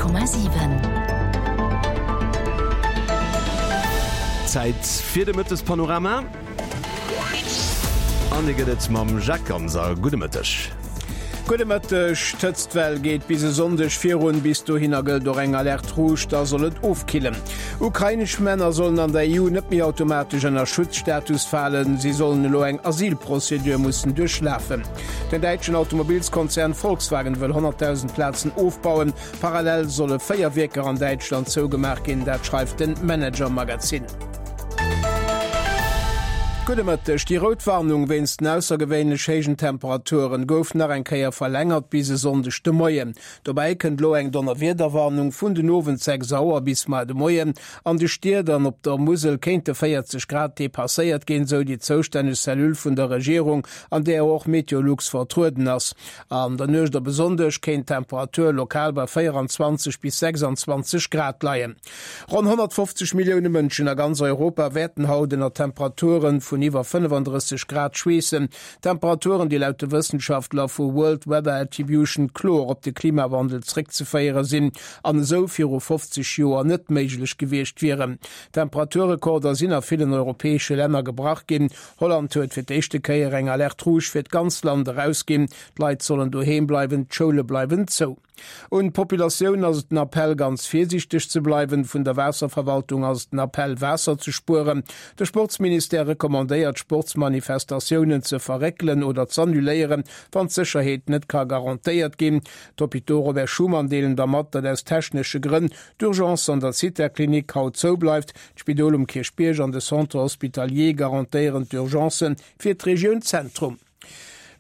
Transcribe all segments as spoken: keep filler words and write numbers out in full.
Komma siwen. Zäit fir de Mëttespanorama. An dee gëtt et mam Jacques Ganser. Gudde Mëtteg. Gudde Mëtteg. D'Hëtztwell geet bis e Sonndeg virun. Bis dohinner gëllt och eng Alerte rouge, da soll et ofkillen. Ukrainesch Männer sollen an der E U net méi automatesch ënner Schutzstatus falen. Si sollen elo eng Asylprozedur mussen duerchlafen. Den däitschen Automobilskonzern Volkswagen wëll honnertdausend Plazen ofbauen. Parallel solle véier Wierker an Däitschland zougemaach ginn, dat schreift den Manager Magazin. Gudde Mëtteg. Déi rout Warnung wéinst den aussergewéinlech héijen Temperaturen gouf nach eng Kéier verlängert bis e Sonndeg de Moien. Dobäi kënnt elo eng Donnerwiederwarnung vun den Owend sechs Auer bis mar de Moien. An de Stied an op der Musel kéinte véierzeg Grad depasséiert ginn, sou déi zoustänneg Cellule vun der Regierung, an där och Meteolux vertrueden ass. An der Nuecht op e Sonndeg kéint d'Temperatur lokal bei véieranzwanzeg bis sechsanzwanzeg Grad leien. Ronn honnertfofzeg Millioune Mënschen a ganz Europa wäerten haut ënner Temperature vun iwwer fënnefandrësseg Grad schweessen. Temperaturen, déi laut de Wëssenschaftler vu World Weather Attribution kloer op de Klimawandel zréckzeféiere sinn an esou viru fofzeg Joer net méiglech gewiescht wieren. Temperaturrekorder sinn a villen europäesche Länner gebrach ginn. Holland huet fir d'éischte Kéier eng Alerte rouge fir d'ganzt Land erausginn. D'Leit sollen doheem bleiwen, d'Schoule bleiwen zou. Un d'Populatioun ass et den Appell, ganz virsiichteg ze bleiwen. Vun der Waasserverwaltung ass et den Appell, Waasser ze spueren. De Sportsministère recommandéiert, Sportsmanifestatiounen ze verréckelen oder z'annuléieren, wann d'Sécherheet net ka garantéiert ginn. D'Hôpitaux Robert Schuman deelen da mat, datt aus technesche Grënn d'Urgence an der Zithaklinik haut zou bleift. D'Spidol um Kierchbierg an de Centre hospitalier garantéieren d'Urgencen fir d'Regioun Zentrum.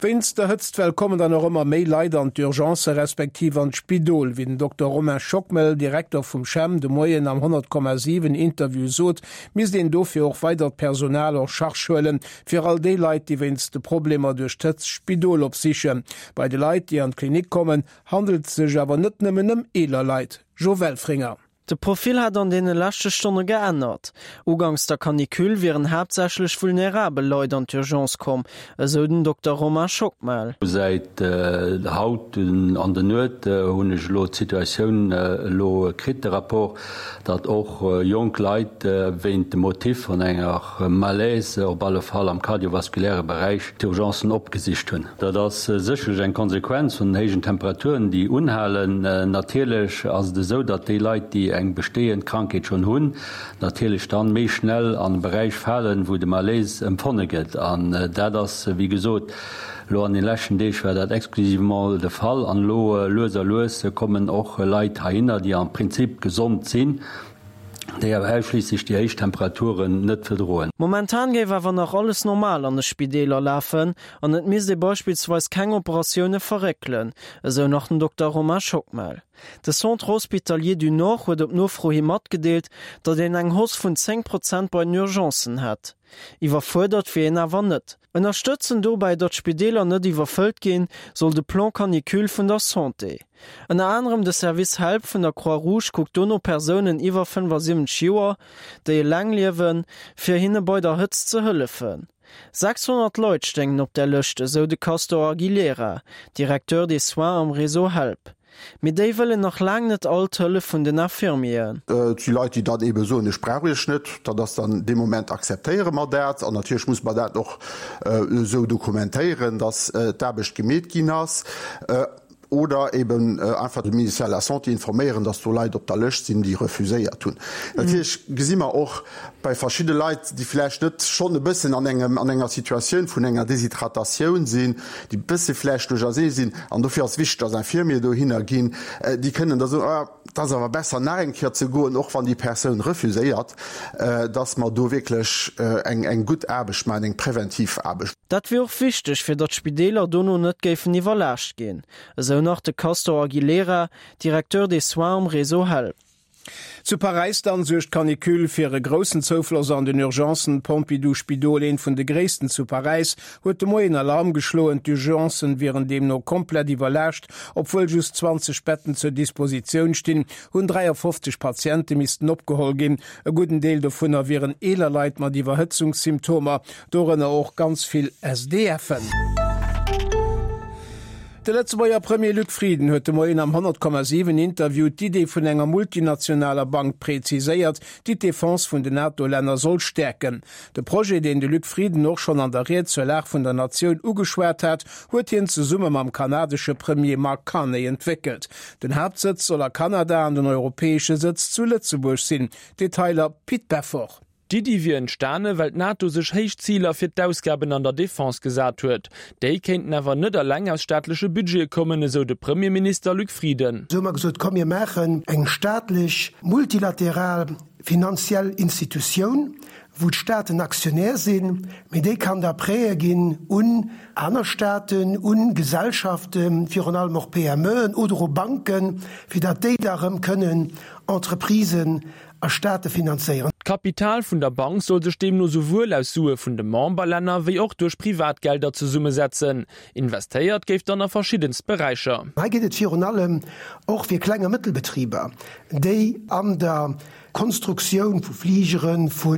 Wéinst der Hëtztwell kommen dann och ëmmer méi Leit an d'Urgence respektiv an d'Spidol. Wéi den Dokter Romain Schockmel, Direkter vum CHEM, de Moien am honnert Komma siwen Interview sot, misst een dofir och weidert Personal en charge huelen, fir all déi Leit, déi wéinst de Problemer duerch d'Hëtzt d'Spidol opsichen. Bei de Leit, déi an d'Klinik kommen, handelt et sech awer net nëmmen ëm eeler Leit. Jo Welfringer. De Profil hätt an deene leschte Stonne geännert. Uganks der Canicule wieren haaptsächlech vulnerabel Leit an d'Urgence komm, esou den Dokter Romain Schockmel. Säit haut an der Nuet hunn ech elo d'Situatioun elo kritt, de Rapport, datt och jonk Leit wéint dem Motif vun enger Malaise, op alle Fall am kardiovaskuläre Beräich, d'Urgencen opgesicht hunn. Dat ass sécherlech eng Konsequenz vun den héijen Temperaturen, déi unhalen. Natierlech ass et esou, datt déi Leit, déi eng bestehend Krankheet schonn hunn, natierlech dann méi schnell an e Beräich falen, wou de Malaise empfonne gëtt. An dat ass, wéi gesot, elo an den leschten Deeg war dat exclusivement de Fall. An elo lues a lues kommen och Leit heihinner, déi am Prinzip gesond sinn, déi awer ausschliisslech déi héich Temperaturen net verdroen. Momentan géif awer nach alles normal an de Spideeler lafen an et misst ee beispillsweis keng Operatioune verréckelen, esou nach den Dokter Romain Schockmel. De Centre Hospitalier du Nord huet op Nofro hi matgedeelt, datt een eng Hausse vun zéng Prozent bei den Urgencen hätt. Iwwerfuerdert wier een awer net. Ënnerstëtzen dobäi, datt d'Spideeler net iwwerfëllt ginn, soll de Plan Canicule vun der Santé. Ënner anerem de Service Help vun der Croix Rouge kuckt do no Persounen iwwer fënnefasiwwenzeg Joer, déi eleng liewen, fir hinne bei der Hëtzt ze hëllefen. sechshonnert Leit stéingen op der Lëscht, esou de Castor Aguilera, Directeur des soins am Réseau Help. Mee déi wëllen nach laang net all d'Hëllef vun den Infirmieren. Et si Leit, déi dann eebe soen, ech brauch Iech net. Dat ass dann dee Moment akzeptéiere mer dat. An natierlech muss mer dat och esou dokumentéieren, datt d'Aarbecht gemeet ginn ass. Oder eeben einfach de Ministère de la Santé informéieren, datt do Leit op der Lëscht sinn, déi refuséiert hunn. Natierlech gesi mer och bei verschidde Leit, déi vläicht net schonn e bëssen an engem, an enger Situatioun vun enger Deshydratatioun sinn, déi e bësse vläicht duerchersee sinn, an dofir ass wichteg, datt Infirmier dohinner ginn, déi kënnen da soen, ah, et ass awer besser nach eng Kéier ze goen, och wann déi Persoun refuséiert, datt mer do wierklech eng, eng gutt Aarbecht maachen, eng präventiv Aarbecht. Dat wier och wichteg, fir datt d'Spideeler dono net géifen iwwerlaascht ginn, esou nach de Castor Aguilera, Directeur des soins am Réseau Help. Zu Paräis dann suergt d'Canicule fir e groussen Zoufloss an den Urgencen. D'Pompidou-Spidol, eent vun de gréissten zu Paräis, huet de Moien Alarm geschloen. D'Urgencen wieren deemno komplett iwwerlaascht. Obwuel just zwanzeg Betten zur Dispositioun stinn, hunn dräiafofzeg Patiente missten opgeholl ginn. E gudden Deel dovunner wieren eeler Leit mat Iwwerhëtzungssymptomer, dorënner och ganz vill S D F'en. De Lëtzebuerger Premier Luc Frieden huet de Moien am honnert Komma siwen Interview d'Idee vun enger multinationaler Bank preziséiert, déi d'Defense vun den NATO-Länner soll stäerken. De Projet, deen de Luc Frieden och schonn an der Ried zur Lag vun der Natioun ugeschwat hat, huet hien zesumme mam kanadesche Premier Mark Carney entwéckelt. Den Haaptsëtz soll a Kanada an den europäesche Sëtz zu Lëtzebuerg sinn. Detailer Pit Beffort. D'Iddi wier entstane well d'NATO sech héich Ziler fir d'Ausgaben an der Defense gesat huet. Déi kéinten awer net eleng aus staatleche Budgete kommen, esou de Premierminister Luc Frieden. Esou hu mer gesot, komm mir maachen eng staatlech multilateral finanziell Institutioun, wou d'Staaten Aktionär sinn, mee déi kann da Prêtë ginn un aner Staaten, un Gesellschaften, virun allem och PMEen oder u Banken, fir datt déi da erëm kënnen Entreprisen a Staate finanzéieren. D'Kapital vun der Bank soll sech deemno souwuel aus Sue vun de Memberlänner wéi och duerch Privatgelder zesummesetzen. Investéiert géif dann a verschiddenst Beräicher. Hei geet et virun allem och fir Kleng a Mëttelbetriber, déi an der Konstruktioun vu Fligeren, vu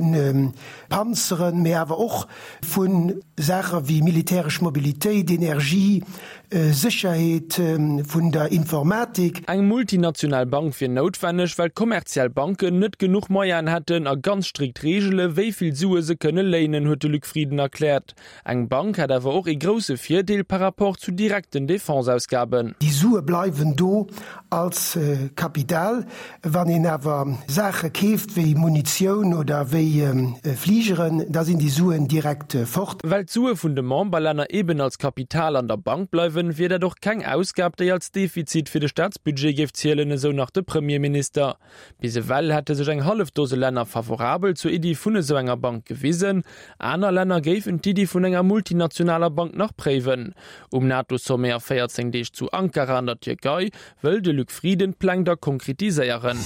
Panzeren, mee awer och vu Saache wéi militäresch Mobilitéit, Energie, Sécherheet vun der Informatik. Eng multinational Bank wier noutwenneg, well kommerziell Banken net genuch Moyenen hätten a ganz strikt Reegele wéi vill Sue se kënne léinen, huet de Luc Frieden erkläert. Eng Bank hätt awer och ee grousse Virdeel par rapport zu direkten Defenseausgaben. Déi Sue bleiwen do als Kapital. Wann een awer Saache keeft wéi Munitioun oder wéi Fligeren, da sinn déi Suen direkt fort. Well d'Sue vun de Memberlänner eben als Kapital an der Bank bleiwen, wier dat och keng Ausgab, déi als Defizit fir de Staatsbudget géif zielen, esou nach de Premierminister. Bis ewell hätte sech eng hallef Dose Länner favorabel zur Iddi vun esou enger Bank gewisen. Aner Länner géifen d'Iddi vun enger multinationaler Bank nach préiwen. Um NATO-Sommet a véierzéng Deeg zu Ankara an der Tierkei wëll de Luc Frieden d'Pläng da konkretiséieren.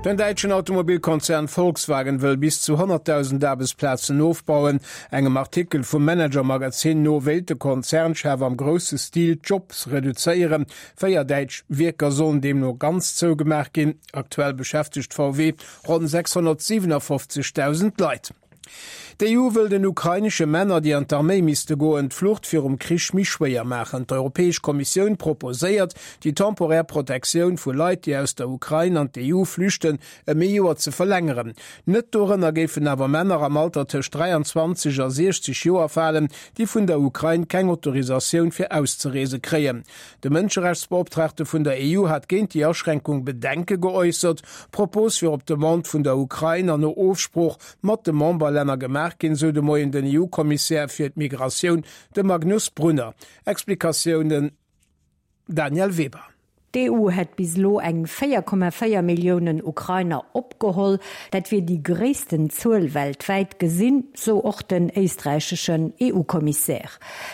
Den däitschen Automobilkonzern Volkswagen wëll bis zu honnertdausend Aarbechtsplazen ofbauen. Engem Artikel vum Manager-Magazin no wéilt de Konzernchef am grousse Stil d'Jobs reduzéieren. Véier däitsch Wierker sollen deemno ganz zougemaach ginn. Aktuell beschäftegt V W ronn sechshonnertsiwenafoffzegdausend Leit. D'E U wëll den ukrainesche Männer, déi an d'Arméi misste goen, d'Flucht virum Krich méi schwéier maachen. D'Europäesch Kommissioun proposéiert, déi temporär Protektioun vu Leit, déi aus der Ukrain an d'E U flüchten, ëm ee Joer ze verlängeren. Net dorënner géifen awer Männer am Alter tëscht dräianzwanzeg a siechzeg Joer falen, déi vun der Ukrain keng Autorisatioun fir auszereese kréien. De Mënscherechtsbeoptraagte vun der E U hat géint déi Aschränkung Bedenke geäussert. D'Propos wier op Demande vun der Ukrain an no Ofsprooch mat de Memberlänner gemaach ginn, sou de Moien den E U-Kommissär fir d'Migratioun, de Magnus Brunner. Explikatiounen Danièle Weber. D'E U hätt bis elo eng véier Komma véier Milliounen Ukrainer opgeholl. Dat wier déi gréissten Zuel weltwäit gesinn, sou och den éisträicheschen E U-Kommissär.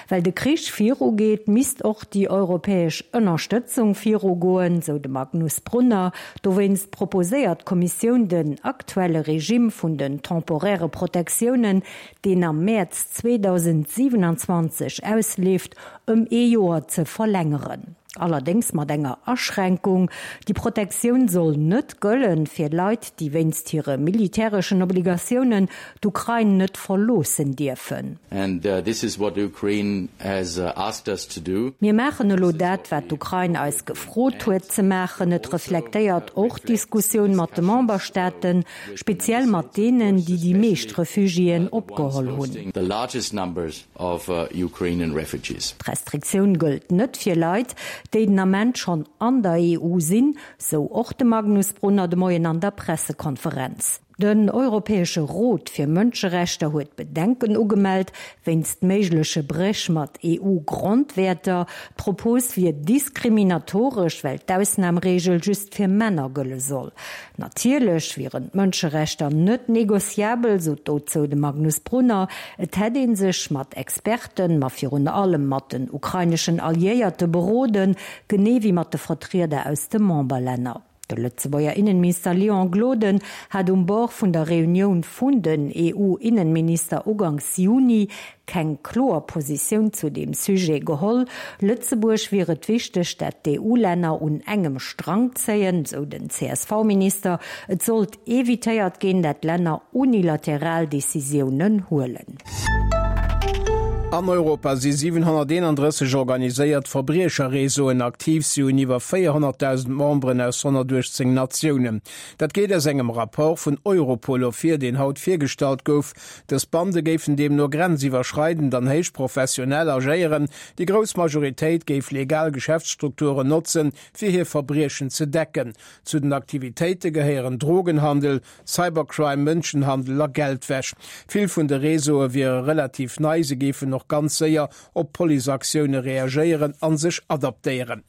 Well de Krich virugeet, misst och déi europäesch Ënnerstëtzung virugoen, sou de Magnus Brunner. Dowéinst proposéiert d'Kommissioun den aktuelle Regime vun den temporäre Protektiounen, deen am Mäerz zweedausendsiewenanzwanzeg ausleeft, ëm ee Joer ze verlängeren. Allerdéngs mat enger Aschränkung, Déi Protektioun soll net gëllen fir Leit, déi wéinst hire militäreschen Obligatiounen d'Ukrain net verloossen dierfen. Mir maachen elo dat, wat d'Ukrain eis gefrot huet ze maachen. Et reflektéiert och d'Diskussioun mat de Memberstaaten, speziell mat deenen, déi déi meescht Refugiéen opgeholl hunn. D'Restriktioun gëllt net fir Leit, déi den Ament schonn an der E U sinn, sou och de Magnus Brunner de Moien an der Pressekonferenz. Den Europäesche Rot fir Mënscherechter huet Bedenken ugemellt wéinst méigleche Bréch mat E U-Grondwäerter. D'Propos wier diskriminatoresch, well d'Ausnamreegel just fir Männer gëlle soll. Natierlech wieren d'Mënscherechter net negociabel, sot dozou de Magnus Brunner. Et hätt ee sech mat Experten, ma virun allem mat den ukraineschen Alliéierte beroden, genee wéi mat de Vertrieder aus de Memberlänner. De Lëtzebuerger Innenminister Léon Gloden hat um Bord vun der Reunioun vun den E U-Innenminister uganks Juni keng kloer Positioun zu deem Sujet geholl. Lëtzebuerg wier et wichteg, dat d'E U-Länner un engem Strang zéien, sou den C S V-Minister. Et sollt evitéiert ginn, dat Länner unilateral Decisiounen huelen. An Europa si siwenhonnerteenandrësseg organiséiert Verbriecherreseauen aktiv. Si hunn iwwer véierhonnertdausend Memberen aus honnertuechtzéng Natiounen. Dat geet aus engem Rapport vun Europol ervir, deen haut virgestallt gouf. Dës Bande géifen deemno grenziwwerschreidend an héich professionell agéieren. Déi grouss Majoritéit géif legal Geschäftsstrukturen notzen, fir hir Verbriechen ze decken. Zu den Aktivitéite gehéieren Drogenhandel, Cybercrime, Mënschenhandel a Geldwäsch. Vill vun de Réseaue wiere relativ nei, se géifen och ganz séier op Policeaktioune reagéieren a sech adaptéieren.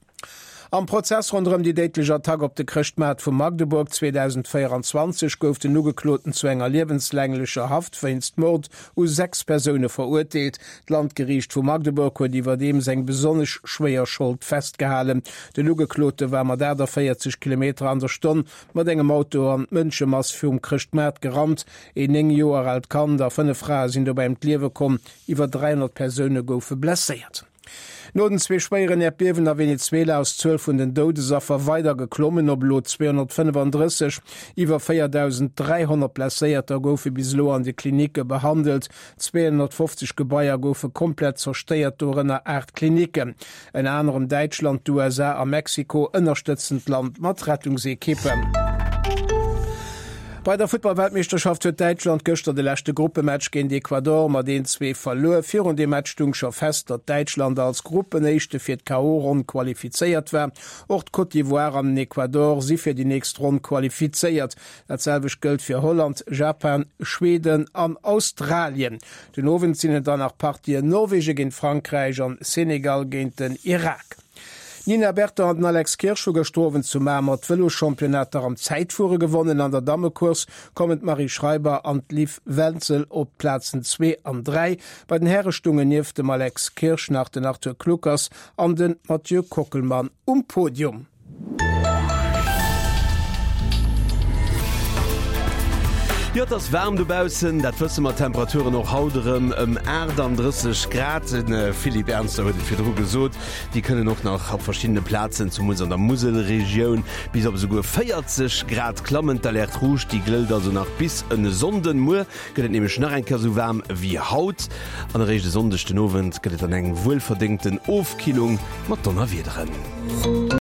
Am Prozess ronderëm déi déidlech Attack op de Chrëschtmaart vu Magdeburg zweedausendvéieranzwanzeg gouf den Ugekloten zu enger liewenslänglecher Haft wéinst Mord u sechs Persoune verurteelt. D'Landgeriicht vu Magdeburg huet iwwerdeems eng besonnesch schwéier Schold festgehalen. Den Ugeklote war mat aachtavéierzeg Kilometer an der Stonn mat engem Auto an d'Mënschemass virum Chrëschtmaart gerannt. Een néng Joer aalt Kand a fënnef Frae sinn dobäi ëm d'Liewe komm, iwwer dräihonnert Persoune goufe blesséiert. No den zwee schwéieren Äerdbiewen a Venezuela ass d'Zuel vun den Doudesaffer weider geklommen op elo zweehonnertfënnefandrësseg. Iwwer véierdausend dräihonnert Blesséierter goufe bis elo an de Klinicke behandelt. Zweehonnertfofzeg Gebaier goufe komplett zerstéiert, dorënner aacht Klinicken. Ënner anerem Däitschland, d'USA a Mexiko ënnerstëtzen d'Land mat Rettungsekippen. Bei der Futtball-Weltmeeschterschaft huet Däitschland gëschter de leschte Gruppematch géint Ecuador mat een, zwee verluer. Virun dem Match stung scho fest, datt Däitschland als Gruppenéischte fir d'K O. Ronn qualifizéiert war. Och d'Côte d'Ivoire an den Ecuador si fir déi nächst Ronn qualifizéiert. Dat selwecht gëllt fir Holland, Japan, Schweden an Australien. Den Owend sinn et dann nach Partien Norwegen géint Frankräich an Senegal géint den Irak. D'Nina Berton an den Alex Kirsch hu gëschter Owend zu Mamer d'Vëloschampionnater am Zäitfuere gewonnen. An der Dammecourse kommen d'Marie Schreiber an d'Liv Wenzel op d'Plazen zwee an dräi. Bei den Häre stungen nieft dem Alex Kirsch nach den Arthur Kluckers an den Mathieu Kockelmann um Podium. Jo, et ass waarm dobaussen, dat wësse mer. D'Temperaturen och haut erëm ëm aachtanddrësseg Grad. De Philippe Ernzer huet et virdru gesot, déi kënnen och nach op verschiddene Plazen, zumools an der Muselregioun, bis op esouguer véierzeg Grad klammen. D'Alerte rouge, déi gëllt also nach bis en Sonnden. Muer gëtt et nämlech nach eng Kéier esou waarm wéi haut an eréischt e Sonndeg den Owend gëtt et dann eng wuelverdéngten Ofkillung mat Donnerwiederen.